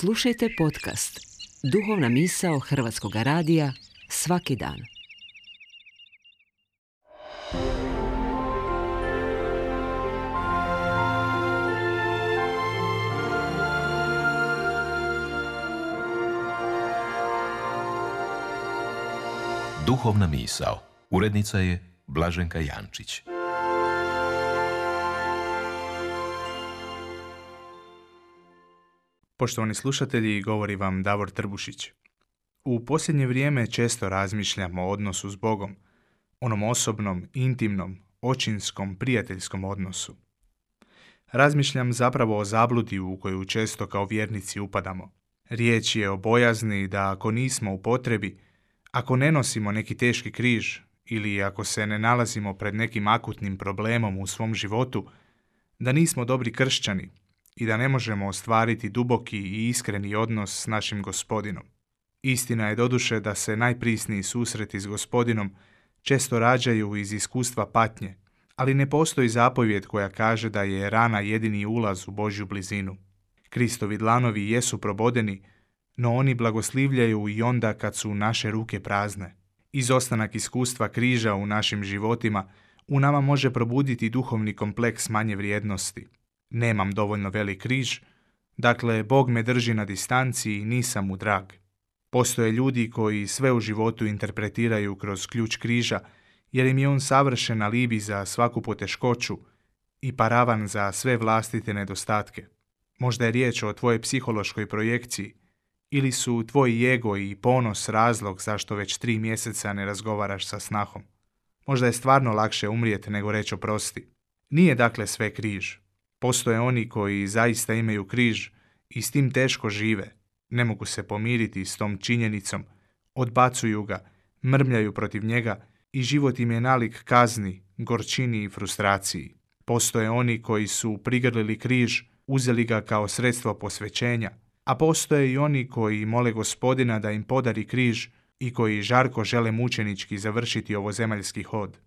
Slušajte podcast Duhovna misao Hrvatskog radija svaki dan. Duhovna misao. Urednica je Blaženka Jančić. Poštovani slušatelji, govori vam Davor Trbušić. U posljednje vrijeme često razmišljam o odnosu s Bogom, onom osobnom, intimnom, očinskom, prijateljskom odnosu. Razmišljam zapravo o zabludi u koju često kao vjernici upadamo. Riječ je o bojazni da ako nismo u potrebi, ako ne nosimo neki teški križ ili ako se ne nalazimo pred nekim akutnim problemom u svom životu, da nismo dobri kršćani i da ne možemo ostvariti duboki i iskreni odnos s našim Gospodinom. Istina je doduše da se najprisniji susreti s Gospodinom često rađaju iz iskustva patnje, ali ne postoji zapovjed koja kaže da je rana jedini ulaz u Božju blizinu. Kristovi dlanovi jesu probodeni, no oni blagoslivljaju i onda kad su naše ruke prazne. Izostanak iskustva križa u našim životima u nama može probuditi duhovni kompleks manje vrijednosti. Nemam dovoljno velik križ, dakle Bog me drži na distanci i nisam mu drag. Postoje ljudi koji sve u životu interpretiraju kroz ključ križa, jer im je on savršen alibi za svaku poteškoću i paravan za sve vlastite nedostatke. Možda je riječ o tvojoj psihološkoj projekciji, ili su tvoj ego i ponos razlog zašto već 3 mjeseca ne razgovaraš sa snahom. Možda je stvarno lakše umrijeti nego reći oprosti. Nije dakle sve križ. Postoje oni koji zaista imaju križ i s tim teško žive, ne mogu se pomiriti s tom činjenicom, odbacuju ga, mrmljaju protiv njega i život im je nalik kazni, gorčini i frustraciji. Postoje oni koji su prigrlili križ, uzeli ga kao sredstvo posvećenja, a postoje i oni koji mole Gospodina da im podari križ i koji žarko žele mučenički završiti ovozemaljski hod.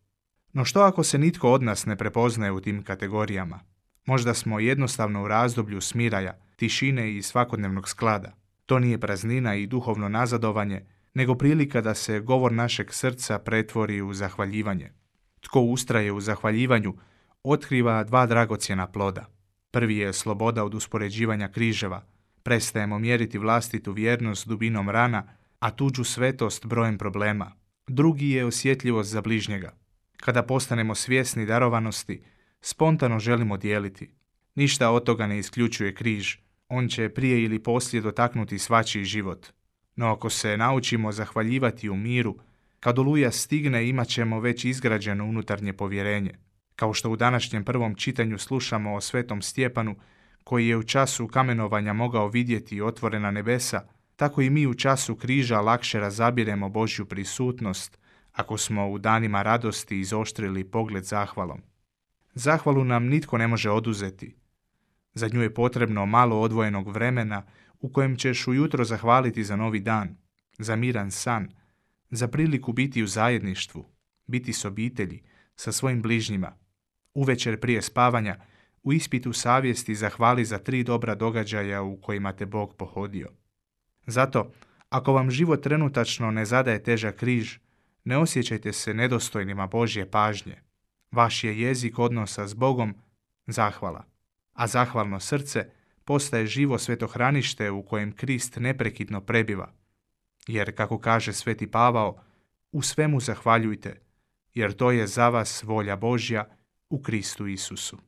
No što ako se nitko od nas ne prepoznaje u tim kategorijama? Možda smo jednostavno u razdoblju smiraja, tišine i svakodnevnog sklada. To nije praznina i duhovno nazadovanje, nego prilika da se govor našeg srca pretvori u zahvaljivanje. Tko ustraje u zahvaljivanju, otkriva 2 dragocjena ploda. Prvi je sloboda od uspoređivanja križeva. Prestajemo mjeriti vlastitu vjernost dubinom rana, a tuđu svetost brojem problema. Drugi je osjetljivost za bližnjega. Kada postanemo svjesni darovanosti, spontano želimo dijeliti. Ništa od toga ne isključuje križ. On će prije ili poslije dotaknuti svačiji život. No ako se naučimo zahvaljivati u miru, kad oluja stigne imat ćemo već izgrađeno unutarnje povjerenje. Kao što u današnjem prvom čitanju slušamo o svetom Stjepanu, koji je u času kamenovanja mogao vidjeti otvorena nebesa, tako i mi u času križa lakše razabiremo Božju prisutnost ako smo u danima radosti izoštrili pogled zahvalom. Zahvalu nam nitko ne može oduzeti. Za nju je potrebno malo odvojenog vremena u kojem ćeš ujutro zahvaliti za novi dan, za miran san, za priliku biti u zajedništvu, biti s obitelji, sa svojim bližnjima. Uvečer prije spavanja, u ispitu savjesti zahvali za 3 dobra događaja u kojima te Bog pohodio. Zato, ako vam život trenutačno ne zadaje težak križ, ne osjećajte se nedostojnima Božje pažnje. Vaš je jezik odnosa s Bogom zahvala, a zahvalno srce postaje živo svetohranište u kojem Krist neprekidno prebiva. Jer, kako kaže sveti Pavao, u svemu zahvaljujte, jer to je za vas volja Božja u Kristu Isusu.